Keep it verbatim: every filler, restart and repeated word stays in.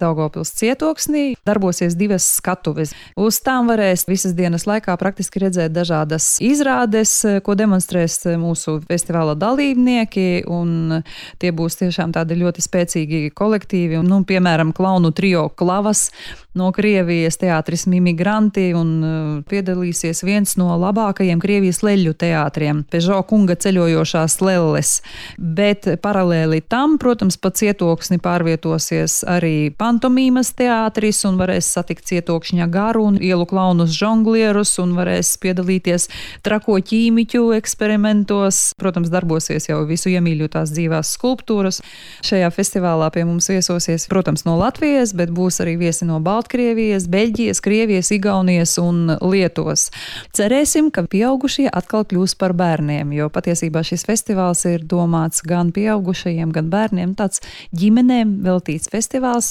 Daugavpils cietoksnī darbosies divas skatuves. Uz tām varēs visas dienas laikā praktiski redzēt dažādas izrādes, ko demonstrēs mūsu festivāla dalībnieki, un tie būs tiešām tādi ļoti spēcīgi kolektīvi. Nu, piemēram, klaunu trio Klavas no Krievijas, teātris Mimigranti, un piedalīsies viens no labākajiem Krievijas leļu teātriem – Pežo kunga ceļojošās lelles. Bet paralēli tam, protams, pa cietoksni pārvietosies arī pantomīmas teātris un varēs satikt cietokšņa garu un ielu klaunus žonglierus un varēs piedalīties trako ķīmiķu eksperimentos. Protams, darbosies jau visu iemīļotās dzīvās skulptūras. Šajā festivālā pie mums viesosies, protams, no Latvijas, bet būs arī viesi no Baltkrievijas, Beļģijas, Krievijas, Igaunijas un Lietuvas. Cerēsim, ka pieaugušie atkal kļūs par bērniem, jo patiesībā šis festivāls ir domāts gan pieaugušajiem, gan bērniem. Tāds ģimenēm veltīts festivāls.